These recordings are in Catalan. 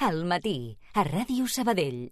Al matí, a Ràdio Sabadell.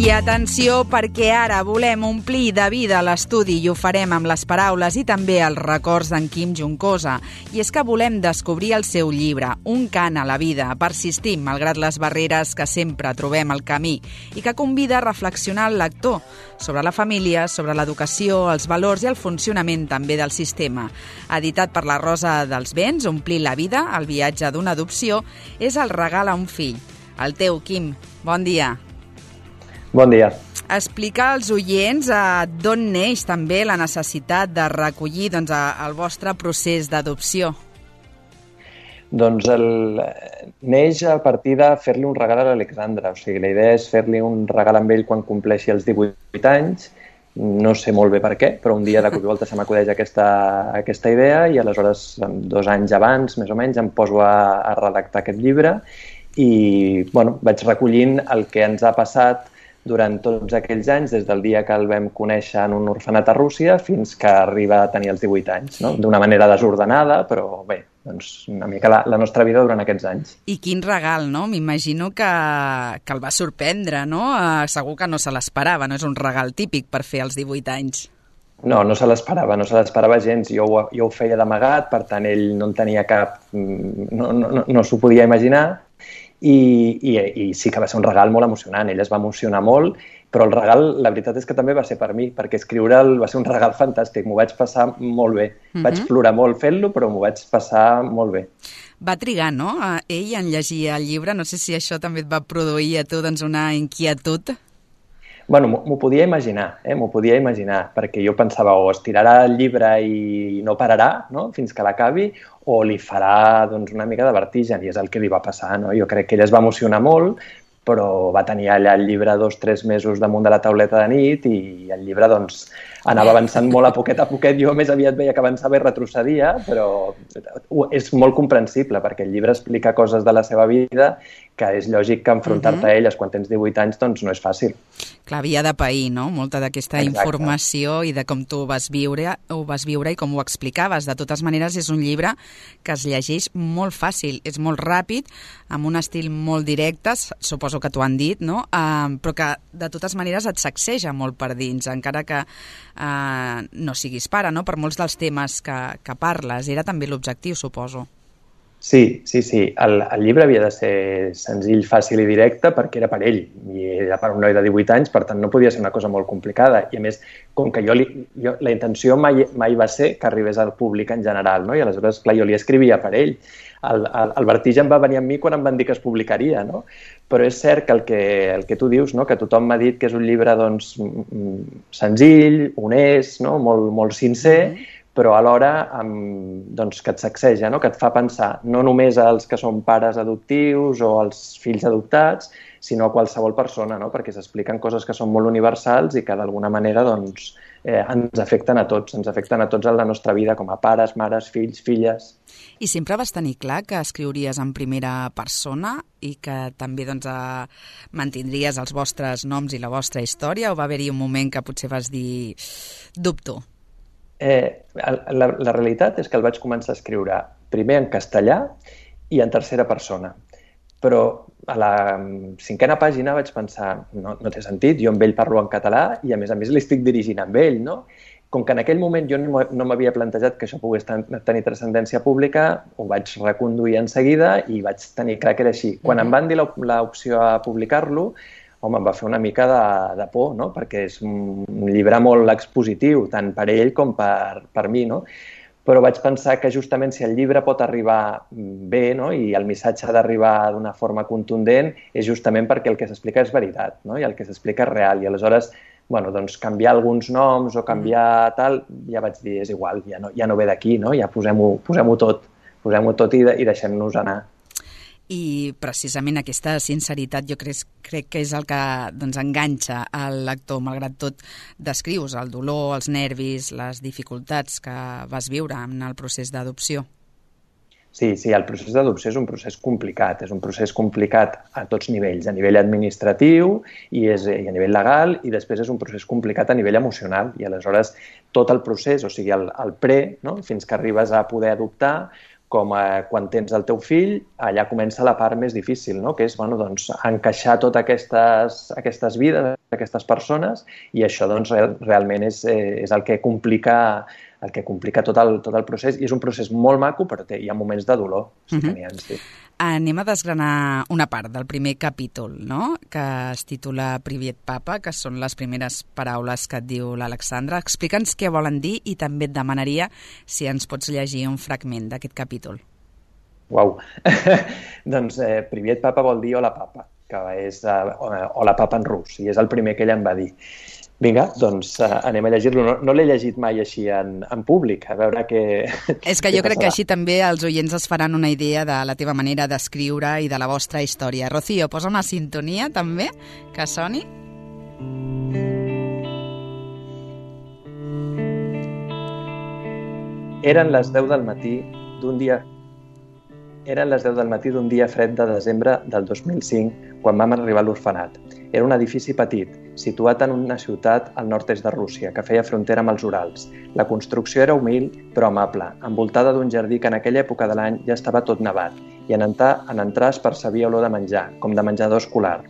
I atenció, perquè ara volem omplir de vida l'estudi i ho farem amb les paraules i també els records d'en Quim Juncosa. I és que volem descobrir el seu llibre, Un cant a la vida, persistim malgrat les barreres que sempre trobem al camí i que convida a reflexionar el lector sobre la família, sobre l'educació, els valors i el funcionament també del sistema. Editat per la Rosa dels Vents, Omplir la vida, el viatge d'una adopció, és el regal a un fill. El teu, Quim. Bon dia. Bon dia. Explicar als oients d'on neix també la necessitat de recollir el vostre procés d'adopció. Doncs neix a partir de fer-li un regal a l'Alexandra. O sigui, la idea és fer-li un regal amb ell quan compleixi els 18 anys. No sé molt bé per què, però un dia de cop i volta se m'acudeix aquesta idea i aleshores, 2 anys abans, més o menys, em poso a redactar aquest llibre i vaig recollint el que ens ha passat durant tots aquells anys, des del dia que el vam conèixer en un orfenat a Rússia fins que arriba a tenir els 18 anys, no? D'una manera desordenada, però bé, doncs una mica la nostra vida durant aquests anys. I quin regal, no? M'imagino que el va sorprendre, no? Segur que no se l'esperava, no és un regal típic per fer als 18 anys. No se l'esperava gens. Jo ho feia d'amagat, per tant ell no en tenia cap... no s'ho podia imaginar. I sí que va ser un regal molt emocionant, ell es va emocionar molt, però el regal, la veritat és que també va ser per mi, perquè escriure'l va ser un regal fantàstic, m'ho vaig passar molt bé. Vaig plorar molt fent-lo, però m'ho vaig passar molt bé. Va trigar, no?, ell en llegir el llibre, no sé si això també et va produir a tu una inquietud. M'ho podia imaginar, perquè jo pensava o estirarà el llibre i no pararà, no?, fins que l'acabi, o li farà una mica de vertigen, i és el que li va passar, no? Jo crec que ell es va emocionar molt, però va tenir allà el llibre 2 o 3 mesos damunt de la tauleta de nit i el llibre anava avançant molt a poquet. Jo més aviat veia que avançava i retrocedia, però és molt comprensible perquè el llibre explica coses de la seva vida que és lògic que enfrontar-te a elles quan tens 18 anys no és fàcil. Clar, havia de pair, no?, molta d'aquesta informació i de com tu ho vas viure i com ho explicaves. De totes maneres, és un llibre que es llegeix molt fàcil, és molt ràpid, amb un estil molt directe, suposo que t'ho han dit, no?, però que de totes maneres et sacseja molt per dins, encara que no siguis pare, no?, per molts dels temes que parles. Era també l'objectiu, suposo. Sí. El llibre havia de ser senzill, fàcil i directe perquè era per ell i era per un noi de 18 anys, per tant no podia ser una cosa molt complicada. I a més, com que la intenció mai va ser que arribés al públic en general, no? I aleshores, clar, jo li escrivia per ell. El vertigen va venir amb mi quan em van dir que es publicaria, no? Però és cert que el que tu dius, no?, que tothom m'ha dit que és un llibre senzill, honest, no?, molt sincer, però alhora que et sacseja, no?, que et fa pensar no només als que són pares adoptius o als fills adoptats, sinó a qualsevol persona, no?, perquè s'expliquen coses que són molt universals i que d'alguna manera ens afecten a tots en la nostra vida com a pares, mares, fills, filles. I sempre vas tenir clar que escriuries en primera persona i que també mantindries els vostres noms i la vostra història, o va haver-hi un moment que potser vas dir dubto? La realitat és que el vaig començar a escriure primer en castellà i en tercera persona. Però a la 5a pàgina vaig pensar, no té sentit, jo amb ell parlo en català i a més l'estic dirigint amb ell, no? Com que en aquell moment jo no m'havia plantejat que això pogués tenir transcendència pública, ho vaig reconduir en seguida i vaig tenir clar que era així. Quan em van dir l'opció a publicar-lo, home, em va fer una mica de por, no?, perquè és un llibre molt expositiu, tant per ell com per mi, no? Però vaig pensar que justament si el llibre pot arribar bé, no?, i el missatge ha d'arribar d'una forma contundent, és justament perquè el que s'explica és veritat, no?, i el que s'explica és real. I aleshores, canviar alguns noms o canviar tal, ja vaig dir, és igual, ja no ve d'aquí, no?, ja posem-ho tot i deixem-nos anar. I precisament aquesta sinceritat jo crec que és el que enganxa al lector. Malgrat tot, descrius el dolor, els nervis, les dificultats que vas viure en el procés d'adopció. Sí, el procés d'adopció és un procés complicat a tots nivells, a nivell administratiu i a nivell legal, i després és un procés complicat a nivell emocional, i aleshores tot el procés, o sigui, el pre, no? Fins que arribes a poder adoptar, com quan tens el teu fill, allà comença la part més difícil, no? Que és encaixar totes aquestes vides, aquestes persones, i això realment és el que complica tot el procés, i és un procés molt maco, però hi ha moments de dolor. Sí. Anem a desgranar una part del primer capítol, no? Que es titula Privet Papa, que són les primeres paraules que et diu l'Alexandra. Explica'ns què volen dir i també et demanaria si ens pots llegir un fragment d'aquest capítol. Uau! Doncs Privet Papa vol dir hola papa, que és hola papa en rus, i és el primer que ella em va dir. Vinga, doncs anem a llegir-lo. No l'he llegit mai així en públic, a veure què... És que jo crec que així també els oients es faran una idea de la teva manera d'escriure i de la vostra història. Rocío, posa una sintonia també, que soni. Eren les 10 del matí d'un dia fred de desembre del 2005, quan vam arribar a l'orfenat. Era un edifici petit, situat en una ciutat al nord-est de Rússia, que feia frontera amb els Urals. La construcció era humil, però amable, envoltada d'un jardí que en aquella època de l'any ja estava tot nevat, i en entrar es percebia olor de menjar, com de menjador escolar.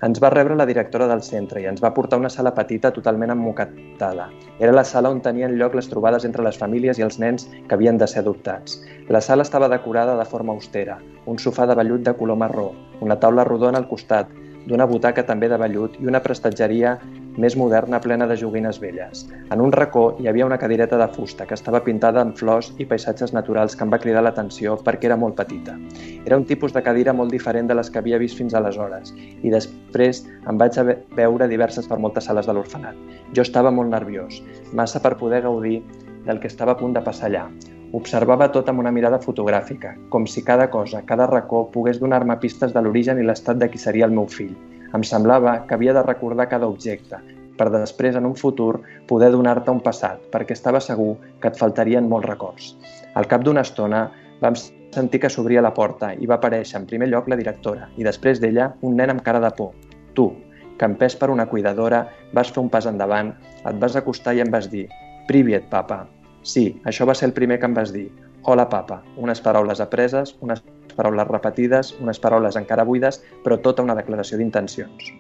Ens va rebre la directora del centre i ens va portar a una sala petita totalment emmoquetada. Era la sala on tenien lloc les trobades entre les famílies i els nens que havien de ser adoptats. La sala estava decorada de forma austera, un sofà de vellut de color marró, una taula rodona al costat, d'una butaca també de vellut i una prestatgeria més moderna plena de joguines velles. En un racó hi havia una cadireta de fusta que estava pintada amb flors i paisatges naturals que em va cridar l'atenció perquè era molt petita. Era un tipus de cadira molt diferent de les que havia vist fins aleshores i després em vaig veure diverses per moltes sales de l'orfenat. Jo estava molt nerviós, massa per poder gaudir del que estava a punt de passar allà. Observava tot amb una mirada fotogràfica, com si cada cosa, cada racó, pogués donar-me pistes de l'origen i l'estat de qui seria el meu fill. Em semblava que havia de recordar cada objecte, per després, en un futur, poder donar-te un passat, perquè estava segur que et faltarien molts records. Al cap d'una estona, vam sentir que s'obria la porta i va aparèixer en primer lloc la directora i després d'ella un nen amb cara de por. Tu, que empès per una cuidadora, vas fer un pas endavant, et vas acostar i em vas dir «Privet, papa». Sí, això va ser el primer que em vas dir. Hola, papa. Unes paraules apreses, unes paraules repetides, unes paraules encara buides, però tota una declaració d'intencions.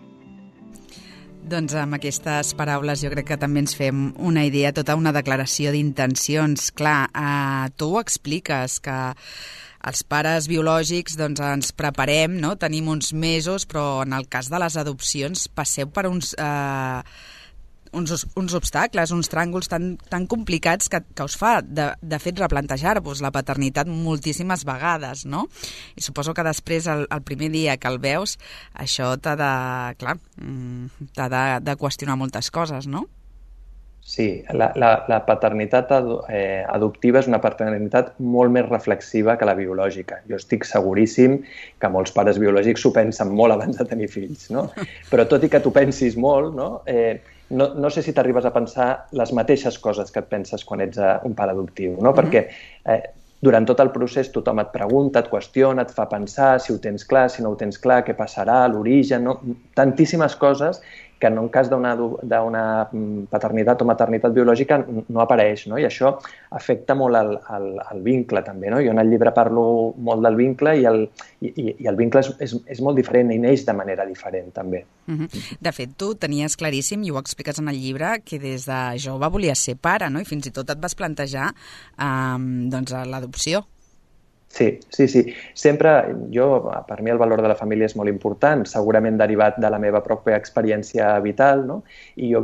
Doncs amb aquestes paraules jo crec que també ens fem una idea, tota una declaració d'intencions. Clar, tu ho expliques, que els pares biològics doncs, ens preparem, no? Tenim uns mesos, però en el cas de les adopcions passeu per uns obstacles, uns tràngols tan complicats que us fa, de fet, replantejar-vos la paternitat moltíssimes vegades, no? I suposo que després, el primer dia que el veus, això t'ha de qüestionar moltes coses, no? Sí, la paternitat adoptiva és una paternitat molt més reflexiva que la biològica. Jo estic seguríssim que molts pares biològics s'ho pensen molt abans de tenir fills, no? Però tot i que t'ho pensis molt, no sé si t'arribes a pensar les mateixes coses que et penses quan ets un pare adoptiu, no? Perquè durant tot el procés tothom et pregunta, et qüestiona, et fa pensar si ho tens clar, si no ho tens clar, què passarà, l'origen, no? Tantíssimes coses que en un cas d'una paternitat o maternitat biològica no apareix, no? I això afecta molt el vincle també, no? Jo en el llibre parlo molt del vincle i el vincle és molt diferent i neix de manera diferent també. De fet, tu tenies claríssim, i ho expliques en el llibre, que des de jove volies ser pare, no? I fins i tot et vas plantejar l'adopció. Sí. Sempre, per mi el valor de la família és molt important, segurament derivat de la meva pròpia experiència vital, no? I jo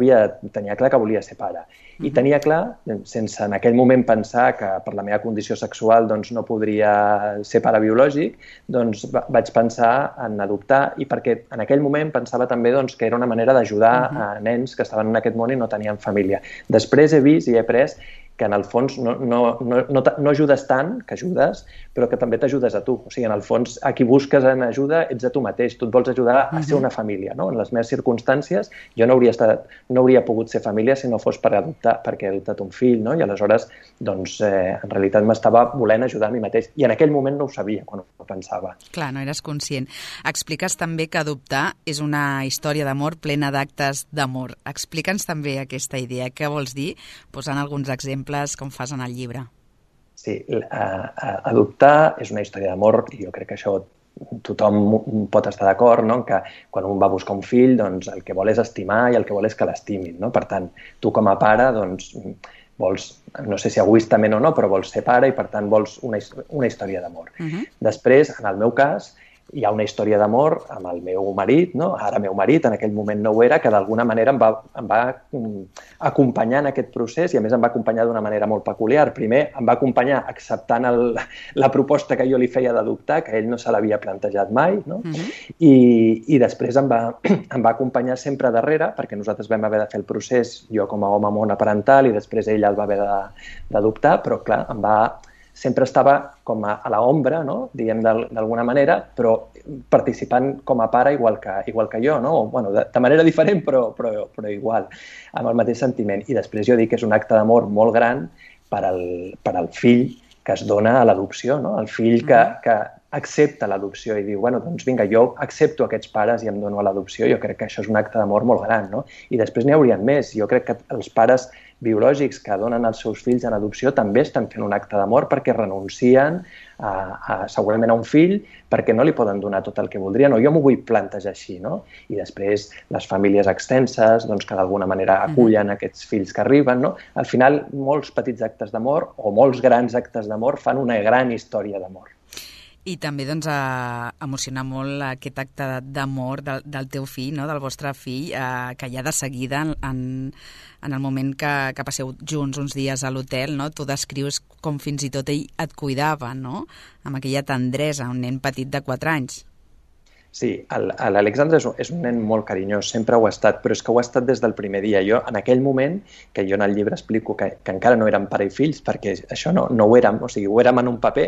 tenia clar que volia ser pare. I tenia clar, sense en aquell moment pensar que per la meva condició sexual doncs, no podria ser pare biològic, doncs vaig pensar en adoptar, i perquè en aquell moment pensava també doncs, que era una manera d'ajudar a nens que estaven en aquest món i no tenien família. Després he vist i he après que en el fons no ajudes tant, que ajudes, però que també t'ajudes a tu. O sigui, en el fons, a qui busques en ajuda ets a tu mateix. Tu et vols ajudar a ser una família, no? En les meves circumstàncies, jo no hauria pogut ser família si no fos perquè he adoptat un fill, no? I aleshores, doncs, en realitat m'estava volent ajudar a mi mateix. I en aquell moment no ho sabia, quan ho pensava. Clar, no eres conscient. Expliques també que adoptar és una història d'amor plena d'actes d'amor. Explica'ns també aquesta idea. Què vols dir? Posant alguns exemples com fas en el llibre. Sí, adoptar és una història d'amor i jo crec que això tothom pot estar d'acord, no? Que quan un va a buscar un fill, doncs el que vol és estimar i el que vol és que l'estimin, no? Per tant, tu com a pare, doncs, vols, no sé si egoistament o no, però vols ser pare i per tant vols una història d'amor. Després, en el meu cas, hi ha una història d'amor amb el meu marit, no? Ara meu marit, en aquell moment no ho era, que d'alguna manera em va acompanyar en aquest procés i a més em va acompanyar d'una manera molt peculiar. Primer em va acompanyar acceptant la proposta que jo li feia d'adoptar, que ell no se l'havia plantejat mai, no? I després em va acompanyar sempre darrere, perquè nosaltres vam haver de fer el procés, jo com a home monoparental i després ell el va haver d'adoptar, però clar, sempre estava com a l'ombra, no? Diguem d'alguna manera, però participant com a pare igual que jo, no? Bueno, de manera diferent, però igual, amb el mateix sentiment. I després jo dic que és un acte d'amor molt gran per al fill que es dona a l'adopció, no? El fill que accepta l'adopció i diu, bueno, doncs vinga, jo accepto aquests pares i em dono a l'adopció. Jo crec que això és un acte d'amor molt gran, no? I després n'hi haurien més. Jo crec que els pares biològics que donen els seus fills en adopció també estan fent un acte d'amor perquè renuncien segurament a un fill perquè no li poden donar tot el que voldrien, o jo m'ho vull plantejar així, no? I després les famílies extenses, doncs, que d'alguna manera acullen aquests fills que arriben, no? Al final, molts petits actes d'amor o molts grans actes d'amor fan una gran història d'amor. I també doncs, emocionar molt aquest acte d'amor del teu fill, no? Del vostre fill, que ja de seguida, en el moment que passeu junts uns dies a l'hotel, no? Tu descrius com fins i tot ell et cuidava, no? Amb aquella tendresa, un nen petit de 4 anys. Sí, l'Alexandre és un nen molt carinyós, sempre ho ha estat, però és que ho ha estat des del primer dia. Jo, en aquell moment, que jo en el llibre explico que encara no érem pare i fills, perquè això no ho érem, o sigui, ho érem en un paper,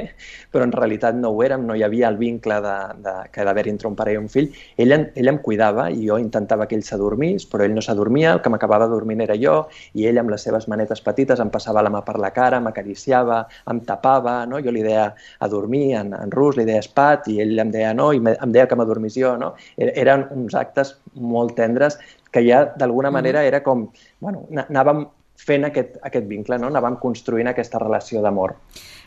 però en realitat no ho érem, no hi havia el vincle que ha d'haver entre un pare i un fill. Ell em cuidava i jo intentava que ell s'adormís, però ell no s'adormia, el que m'acabava dormint era jo, i ell amb les seves manetes petites em passava la mà per la cara, m'acariciava, em tapava, no? Jo li deia a dormir en rus, li deia espat, i ell em deia no, i em deia que m'adormís jo, no? Eren uns actes molt tendres que ja d'alguna manera era com, bueno, anàvem fent aquest vincle, no? Anàvem construint aquesta relació d'amor.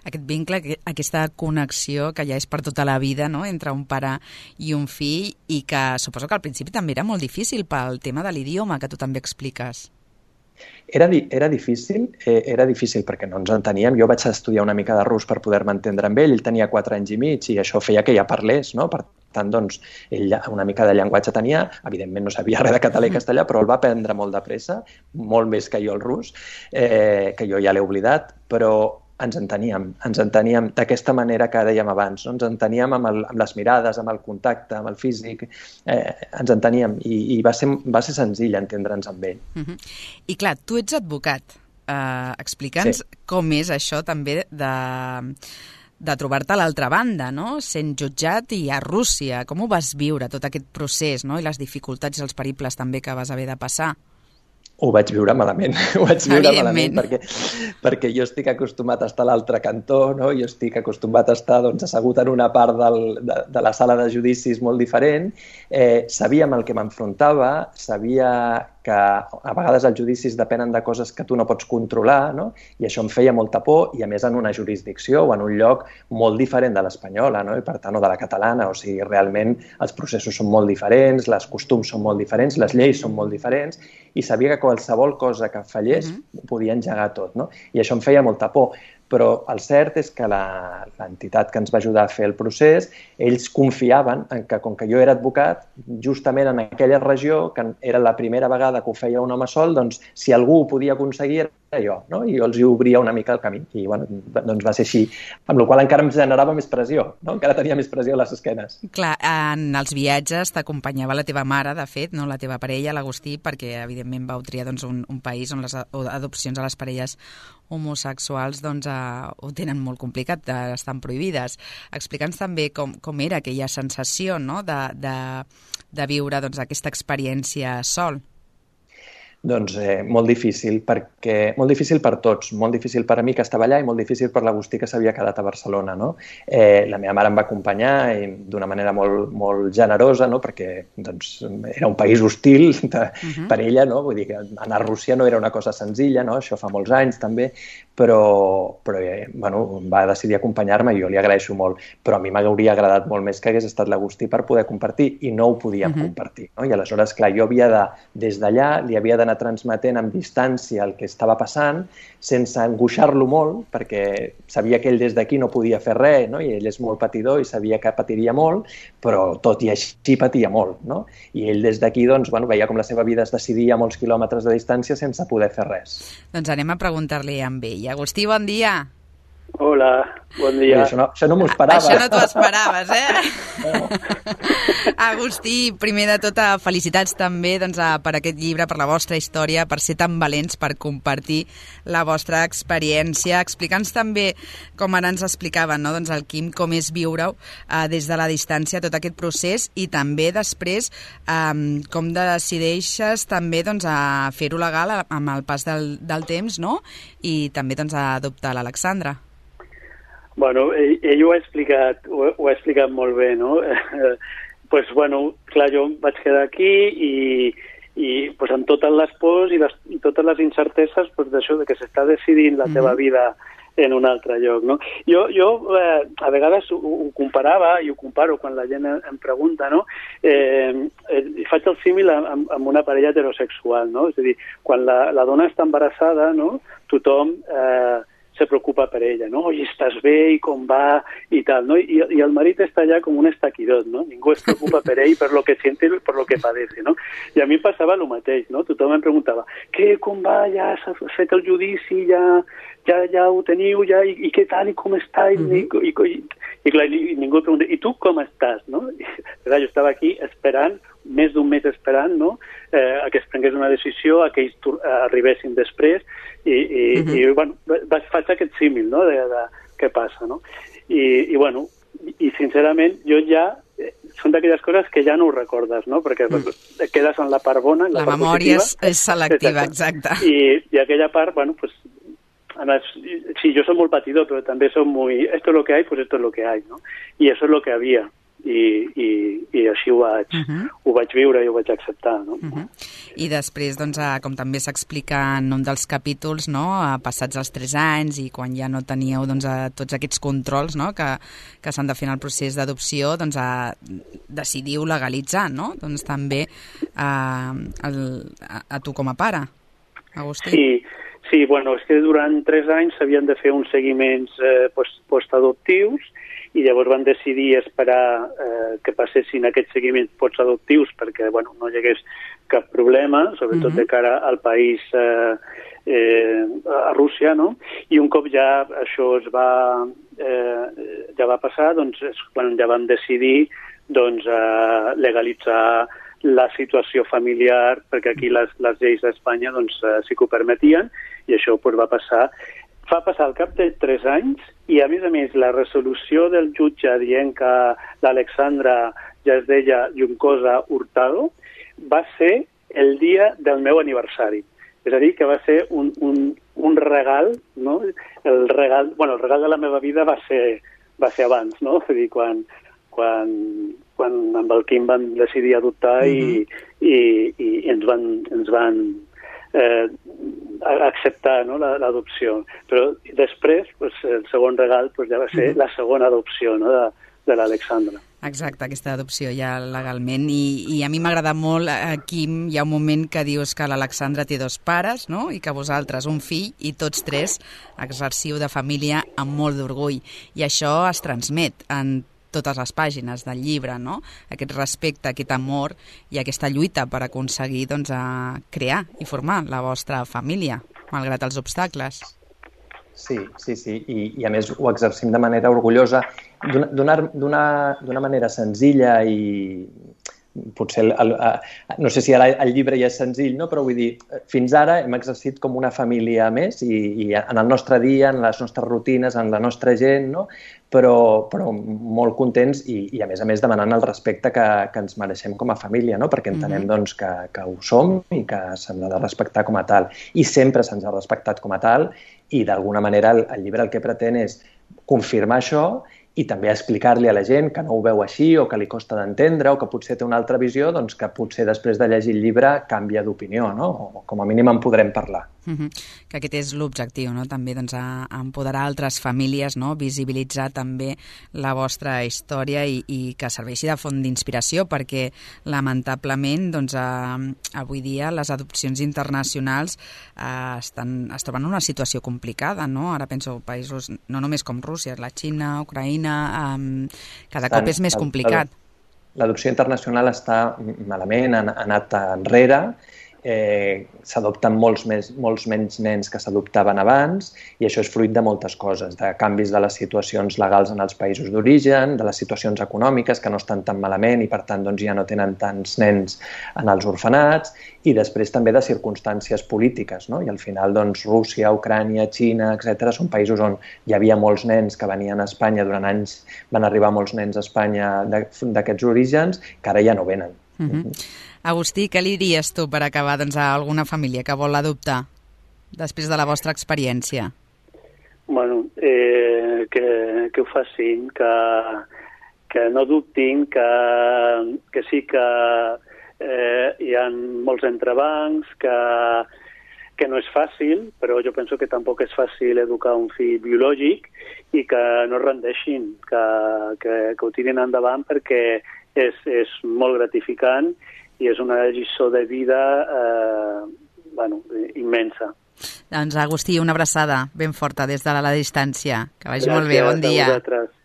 Aquest vincle, aquesta connexió que ja és per tota la vida, no? Entre un pare i un fill, i que suposo que al principi també era molt difícil pel tema de l'idioma que tu també expliques. Era difícil perquè no ens enteníem. Jo vaig estudiar una mica de rus per poder-me entendre amb ell tenia 4 anys i mig i això feia que ja parlés, no? Per tant, doncs, ell una mica de llenguatge tenia, evidentment no sabia res de català i castellà, però el va aprendre molt de pressa, molt més que jo el rus, que jo ja l'he oblidat, però ens enteníem d'aquesta manera que dèiem abans, no? Ens enteníem amb les mirades, amb el contacte, amb el físic, ens enteníem i va ser senzill entendre'ns amb ell. I clar, tu ets advocat. Explica'ns com és això també de trobar-te a l'altra banda, no? Sent jutjat i a Rússia. Com ho vas viure, tot aquest procés, no? I les dificultats i els periples també que vas haver de passar? Ho vaig viure malament, perquè jo estic acostumat a estar a l'altre cantó, no? Jo estic acostumat a estar assegut en una part de la sala de judicis molt diferent, sabia amb el que m'enfrontava, sabia que a vegades els judicis depenen de coses que tu no pots controlar, no? I això em feia molta por, i a més en una jurisdicció o en un lloc molt diferent de l'espanyola, no? I per tant, o de la catalana, o sigui, realment els processos són molt diferents, els costums són molt diferents, les lleis són molt diferents, i sabia que qualsevol cosa que fallés ho podia engegar tot, no? I això em feia molta por. Però el cert és que l'entitat que ens va ajudar a fer el procés, ells confiaven en que, com que jo era advocat, justament en aquella regió, que era la primera vegada que ho feia un home sol, doncs si algú ho podia aconseguir era jo, no? I jo els hi obria una mica el camí. I bueno, doncs va ser així, amb la qual cosa encara em generava més pressió, no? Encara tenia més pressió a les esquenes. Clar, en els viatges t'acompanyava la teva mare, de fet, no? La teva parella, l'Agustí, perquè evidentment vau triar doncs, un país on les adopcions a les parelles homosexuals doncs, ho tenen molt complicat, estan prohibides. Explica'ns també com era aquella sensació, no? de viure doncs, aquesta experiència sol. Doncs molt difícil per tots, molt difícil per a mi que estava allà i molt difícil per l'Agustí que s'havia quedat a Barcelona, no? La meva mare em va acompanyar d'una manera molt, molt generosa, no? Perquè doncs, era un país hostil per ella, no? Vull dir que anar a Rússia no era una cosa senzilla, no? Això fa molts anys també, però bueno, va decidir acompanyar-me i jo li agraeixo molt, però a mi m'hauria agradat molt més que hagués estat l'Agustí per poder compartir i no ho podíem compartir, no? I aleshores, clar, jo des d'allà li havia d'anar transmetent amb distància el que estava passant, sense angoixar-lo molt, perquè sabia que ell des d'aquí no podia fer res, no? I ell és molt patidor i sabia que patiria molt, però tot i així patia molt, no? I ell des d'aquí doncs, bueno, veia com la seva vida es decidia a molts quilòmetres de distància sense poder fer res. Doncs anem a preguntar-li a ell. Agustí, bon dia. Hola, bon dia. Això no m'ho esperava. Això no t'ho esperaves, Agustí, primer de tot, felicitats també doncs, per aquest llibre, per la vostra història, per ser tan valents, per compartir la vostra experiència. Explica'ns també, com ara ens explicaven, no? Doncs el Quim, com és viure-ho des de la distància, tot aquest procés, i també després com decideixes també doncs, a fer-ho legal amb el pas del temps, no? I també doncs, a adoptar l'Alexandra. Bueno, ell ho ha explicat molt bé, no? Pues, bueno, clar, jo vaig quedar aquí i pues, amb totes les pors i totes les incerteses pues, d'això, de que s'està decidint la teva vida en un altre lloc, no? Jo a vegades ho comparava i ho comparo quan la gent em pregunta, no? Faig el símil amb una parella heterosexual, no? És a dir, quan la dona està embarassada, no? Tothom se preocupa per ella, no? Oi, estàs bé i com va i tal, no? I el marit està allà com un estaquirot, no? Ningú es preocupa per ell, per lo que siente, per lo que padece, no? I a mi passava el mateix, no? Tothom em preguntava, com va, ja s'ha fet el judici, ja ho teniu, ja, i què tal, i com està? I clar, ningú pregunta, i tu com estàs, no? I, clar, jo estava aquí esperant, més d'un mes esperant, no? A que es prengués una decisió, a que ells arribessin després, i bueno, faig aquest símil, no?, de què passa, no? I bueno, i sincerament, jo ja, són d'aquelles coses que ja no ho recordes, no?, perquè quedes en la part bona, en la part memòria positiva. és selectiva, exacte. I aquella part, bueno, pues, además, sí, yo soy muy patidor, pero también soy muy, esto es lo que hay, pues esto es lo que hay, ¿no? Y eso es lo que había. I així ho vaig viure i ho vaig acceptar, no? I després, doncs, com també s'explica en un dels capítols, no?, passats els 3 anys i quan ja no teníeu doncs, tots aquests controls, no?, que s'han de fer en el procés d'adopció, doncs decidiu legalitzar, no?, doncs també a tu com a pare, Agustí. Sí, bueno, és que durant 3 anys s'havien de fer uns seguiments postadoptius i llavors van decidir esperar que passessin aquests seguiments postadoptius perquè, bueno, no hi hagués cap problema, sobretot de cara al país, a Rússia, no? I un cop ja això ja va passar, doncs és quan ja vam decidir doncs, legalitzar la situació familiar, perquè aquí les lleis d'Espanya doncs, sí que ho permetien, i això doncs, va passar al cap de 3 anys, i a més, la resolució del jutge dient que l'Alexandra ja es deia Juncosa Hurtado va ser el dia del meu aniversari. És a dir, que va ser un regal, no? El regal de la meva vida va ser abans, no? És a dir, quan amb el Quim van decidir adoptar i ens van acceptar, no?, l'adopció. Però després, pues, el segon regal pues, ja va ser la segona adopció, no?, de l'Alexandra. Exacte, aquesta adopció ja legalment. I a mi m'agrada molt, Quim, hi ha un moment que dius que l'Alexandra té 2 pares, no?, i que vosaltres un fill, i tots 3 exerciu de família amb molt d'orgull. I això es transmet en totes les pàgines del llibre, no? Aquest respecte, aquest amor i aquesta lluita per aconseguir doncs, crear i formar la vostra família, malgrat els obstacles. Sí. I a més ho exercim de manera orgullosa, d'una manera senzilla i potser, no sé si ara el llibre ja és senzill, no? Però vull dir, fins ara hem exercit com una família més i en el nostre dia, en les nostres rutines, en la nostra gent, no? Però molt contents i a més demanant el respecte que ens mereixem com a família, no? Perquè entenem doncs, que ho som i que se'ns ha de respectar com a tal. I sempre se'ns ha respectat com a tal i d'alguna manera el llibre el que pretén és confirmar això i també explicar-li a la gent que no ho veu així o que li costa d'entendre o que potser té una altra visió, doncs que potser després de llegir el llibre canvia d'opinió, no? O com a mínim en podrem parlar. Que aquest és l'objectiu, no? També doncs, empoderar altres famílies, no? Visibilitzar també la vostra història i que serveixi de font d'inspiració, perquè lamentablement doncs, avui dia les adopcions internacionals es troben en una situació complicada, no? Ara penso països no només com Rússia, la Xina, Ucraïna, cada cop és més complicat. L'adopció internacional està malament, ha anat enrere, s'adopten molts menys nens que s'adoptaven abans i això és fruit de moltes coses, de canvis de les situacions legals en els països d'origen, de les situacions econòmiques que no estan tan malament i per tant doncs, ja no tenen tants nens en els orfenats i després també de circumstàncies polítiques, no? I al final doncs, Rússia, Ucrània, Xina, etc. són països on hi havia molts nens que venien a Espanya, durant anys van arribar molts nens a Espanya d'aquests orígens que ara ja no venen. Agustí, què li diries tu per acabar doncs, a alguna família que vol adoptar després de la vostra experiència? Bueno, que ho facin, que no dubtin, que sí que hi ha molts entrebancs, que no és fàcil, però jo penso que tampoc és fàcil educar un fill biològic i que no es rendeixin, que ho tirin endavant perquè és molt gratificant i és una lliçó de vida immensa. Doncs, Agustí, una abraçada ben forta des de la distància. Que vagi molt bé, bon dia. Gràcies a vosaltres.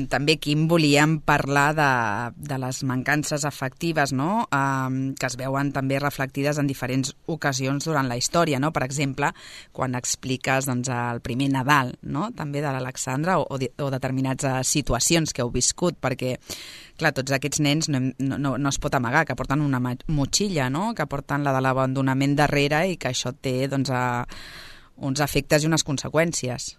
També, Quim, volíem parlar de les mancances afectives, no? Que es veuen també reflectides en diferents ocasions durant la història, no? Per exemple, quan expliques doncs, el primer Nadal, no? També de l'Alexandra o determinats situacions que heu viscut, perquè clar, tots aquests nens no es pot amagar, que porten una motxilla, no? Que porten la de l'abandonament darrere i que això té doncs, uns efectes i unes conseqüències.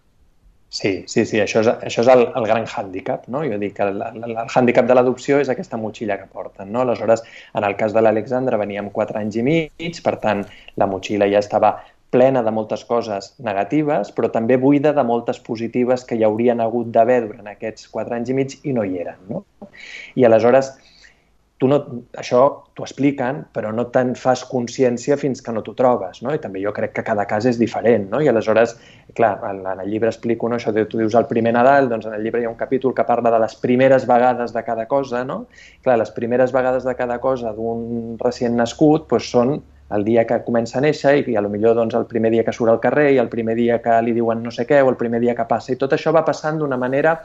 Sí, això és el gran hàndicap, no? Jo dic que el hàndicap de l'adopció és aquesta motxilla que porten, no? Aleshores, en el cas de l'Alexandra veníem 4 anys i mig, per tant, la motxilla ja estava plena de moltes coses negatives, però també buida de moltes positives que hi haurien hagut d'haver durant aquests 4 anys i mig i no hi eren, no? I aleshores, això t'ho expliquen, però no te'n fas consciència fins que no t'ho trobes, no? I també jo crec que cada cas és diferent, no? I aleshores, clar, en el llibre explico, no? Això tu dius el primer Nadal, doncs en el llibre hi ha un capítol que parla de les primeres vegades de cada cosa, no? Clar, les primeres vegades de cada cosa d'un recient nascut doncs són el dia que comença a néixer i potser doncs, el primer dia que surt al carrer i el primer dia que li diuen no sé què o el primer dia que passa. I tot això va passant d'una manera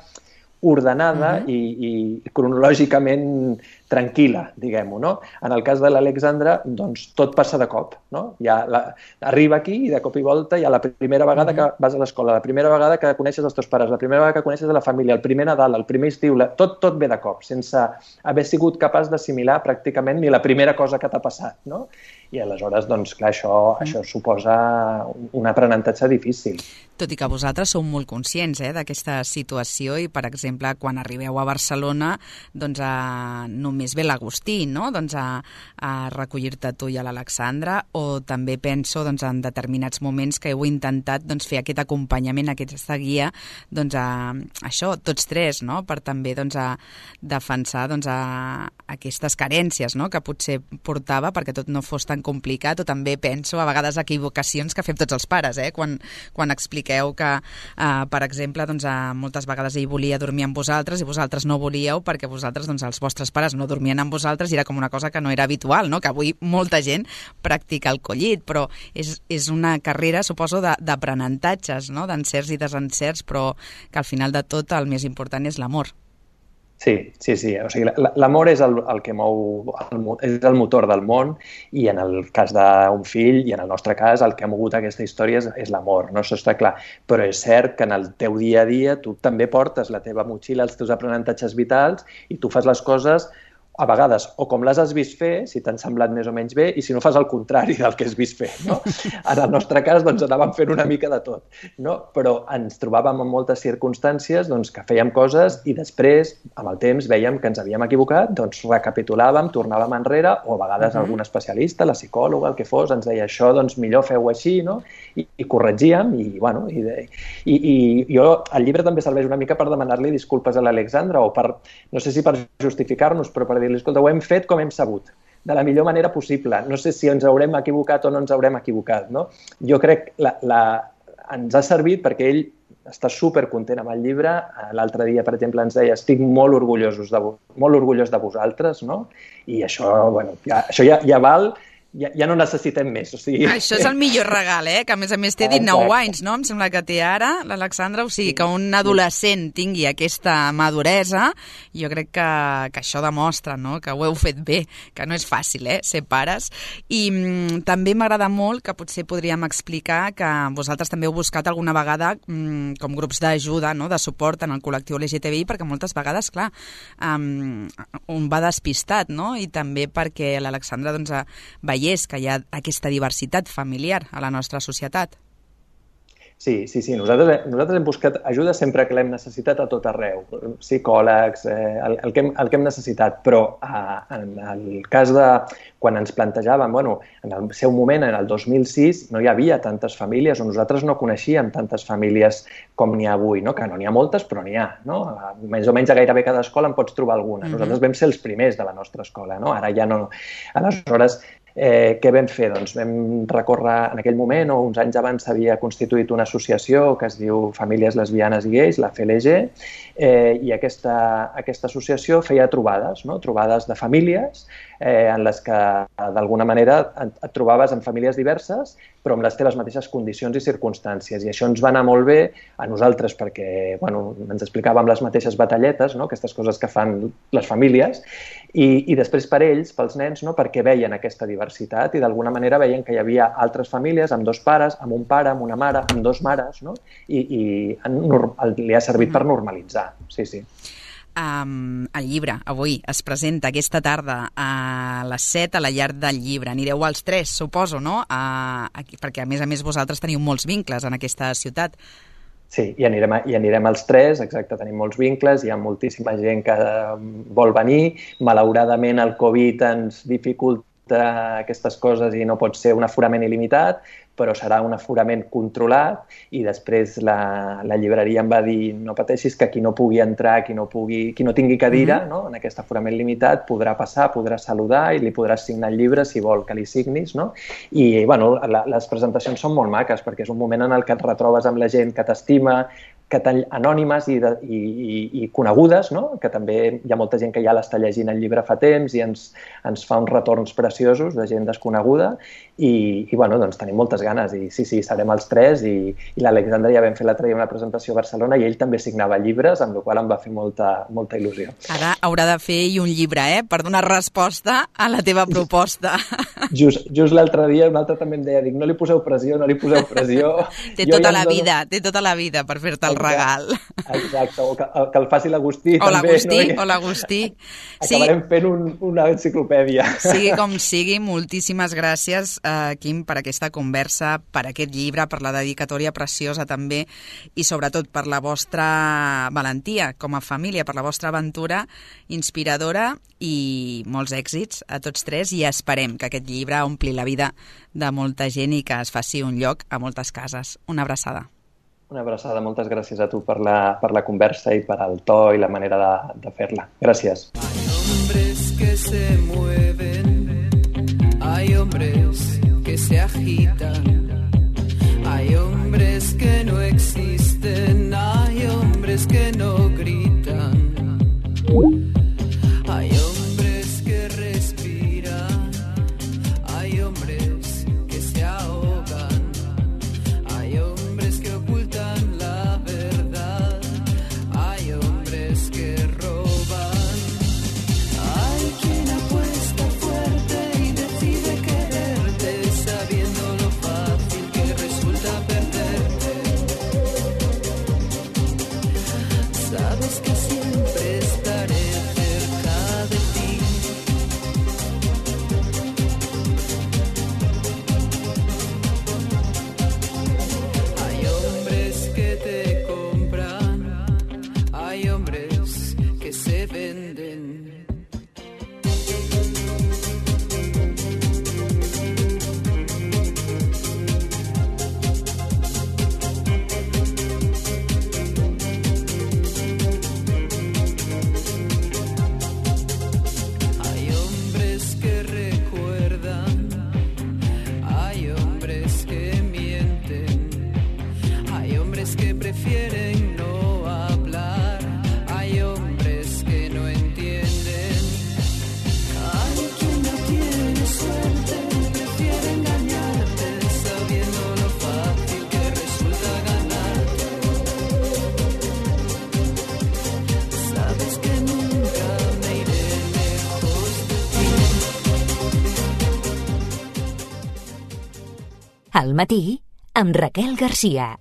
ordenada i cronològicament tranquil·la, diguem-ho, no? En el cas de l'Alexandra, doncs tot passa de cop, no? Arriba aquí i de cop i volta hi ha la primera vegada que vas a l'escola, la primera vegada que coneixes els teus pares, la primera vegada que coneixes la família, el primer Nadal, el primer estiu, tot ve de cop, sense haver sigut capaç d'assimilar pràcticament ni la primera cosa que t'ha passat, no? I aleshores, doncs, clar, això suposa un aprenentatge difícil. Tot i que vosaltres sou molt conscients d'aquesta situació i, per exemple, quan arribeu a Barcelona, doncs només ve l'Agustí, no? Doncs a recollir-te tu i a l'Alexandra, o també penso doncs, en determinats moments que heu intentat doncs, fer aquest acompanyament, aquesta guia, doncs això, tots tres, no? Per també doncs, defensar doncs, aquestes carències, no? Que potser portava perquè tot no fos tan complicat, o també penso a vegades equivocacions que fem tots els pares, quan expliqueu que, per exemple, doncs, moltes vegades ell volia dormir amb vosaltres i vosaltres no volíeu perquè vosaltres, doncs, els vostres pares no dormien amb vosaltres i era com una cosa que no era habitual, no? Que avui molta gent practica el collit, però és una carrera, suposo, d'aprenentatges, no? D'encerts i desencerts, però que al final de tot el més important és l'amor. Sí. O sigui, l'amor és el que mou, és el motor del món, i en el cas d'un fill, i en el nostre cas, el que ha mogut aquesta història és l'amor, no? Això està clar. Però és cert que en el teu dia a dia tu també portes la teva motxilla, els teus aprenentatges vitals, i tu fas les coses a vegades o com les has vist fer, si t'han semblat més o menys bé, i si no fas el contrari del que has vist fer, no? En el nostre cas, doncs, anàvem fent una mica de tot, no? Però ens trobàvem en moltes circumstàncies doncs, que fèiem coses i després, amb el temps, veiem que ens havíem equivocat, doncs recapitulàvem, tornàvem enrere, o a vegades algun especialista, la psicòloga, el que fos, ens deia això, doncs millor feu així, no? I corregíem, i bueno, i jo, el llibre també serveix una mica per demanar-li disculpes a l'Alexandra, o per, no sé si per justificar-nos, però per dir-li, escolta, ho hem fet com hem sabut, de la millor manera possible. No sé si ens haurem equivocat o no ens haurem equivocat, no? Jo crec que ens ha servit perquè ell està supercontent amb el llibre. L'altre dia, per exemple, ens deia, estic molt orgullós de vosaltres, no? I això, bueno, això ja val, ja no necessitem més. O sigui... Això és el millor regal, que a més té 19 anys, no? Em sembla que té ara l'Alexandra, o sigui, que un adolescent tingui aquesta maduresa, jo crec que això demostra, no?, que ho heu fet bé, que no és fàcil, ser pares. I també m'agrada molt que potser podríem explicar que vosaltres també heu buscat alguna vegada com grups d'ajuda, no?, de suport en el col·lectiu LGTBI, perquè moltes vegades, clar, un va despistat, no?, i també perquè l'Alexandra, doncs, veiés que hi ha aquesta diversitat familiar a la nostra societat. Sí. Nosaltres hem buscat ajuda sempre que l'hem necessitat a tot arreu. Psicòlegs, el que hem necessitat. Però en el cas de quan ens plantejàvem, bueno, en el seu moment, en el 2006, no hi havia tantes famílies, o nosaltres no coneixíem tantes famílies com n'hi ha avui, no? Que no n'hi ha moltes, però n'hi ha, no? Més o menys a gairebé cada escola en pots trobar alguna. Nosaltres vam ser els primers de la nostra escola, no? Ara ja no. Aleshores, què vam fer? Doncs vam recórrer en aquell moment, o uns anys abans s'havia constituït una associació que es diu Famílies Lesbianes i Gais, la FLG, i aquesta associació feia trobades, no? Trobades de famílies en les que d'alguna manera et trobaves en famílies diverses però amb les teves mateixes condicions i circumstàncies, i això ens va anar molt bé a nosaltres perquè ens explicàvem les mateixes batalletes, no? Aquestes coses que fan les famílies, i després per ells, pels nens, no? Perquè veien aquesta diversitat i d'alguna manera veien que hi havia altres famílies amb dos pares, amb un pare, amb una mare, amb dos mares, no? I li ha servit per normalitzar, sí. El llibre avui es presenta aquesta tarda a les 7 a la Llar del Llibre. Anireu als 3, suposo, no? Perquè a més vosaltres teniu molts vincles en aquesta ciutat. Sí, i anirem als 3, exacte, tenim molts vincles, hi ha moltíssima gent que vol venir. Malauradament el Covid ens dificulta aquestes coses i no pot ser un aforament il·limitat, però serà un aforament controlat, i després la llibreria em va dir no pateixis que qui no pugui entrar, qui no tingui cadira, no? En aquest aforament limitat podrà passar, podrà saludar i li podràs signar el llibre si vol que li signis, no? I les presentacions són molt maques perquè és un moment en el que et retrobes amb la gent que t'estima, anònimes i conegudes, no? Que també hi ha molta gent que ja l'està llegint el llibre fa temps i ens fa uns retorns preciosos de gent desconeguda, i doncs tenim moltes ganes, i sí, serem els 3, i l'Alexandre ja vam fer l'altre dia una presentació a Barcelona i ell també signava llibres, amb la qual em va fer molta il·lusió. Ara haurà de fer ell un llibre, per donar resposta a la teva proposta. Just l'altre dia un altre també em deia, no li poseu pressió. Té tota la vida per fer-te el regal. Exacte, o que el faci l'Agustí. O l'Agustí. Acabarem fent una enciclopèdia. Sigui com sigui, moltíssimes gràcies, Quim, per aquesta conversa, per aquest llibre, per la dedicatòria preciosa també, i sobretot per la vostra valentia com a família, per la vostra aventura inspiradora, i molts èxits a tots 3, i esperem que aquest llibre ompli la vida de molta gent i que es faci un lloc a moltes cases. Una abraçada. Una abraçada, moltes gràcies a tu per la conversa i per el to i la manera de fer-la. Gràcies. Hay hombres que se mueven, hay hombres que se agitan, hay hombres que no existen, hay hombres que no gritan, hay hombres que respiran, hay hombres que se ahogan, hay hombres que ocultan la verdad, hay hombres que roban. hombres que mienten, hay hombres que prefieren no hablar, hay hombres que no entienden. Hay quien no tiene suerte, prefiere engañarte, sabiendo lo fácil que resulta ganarte. Sabes que nunca me iré lejos de ti. Al matí, amb Raquel Garcia.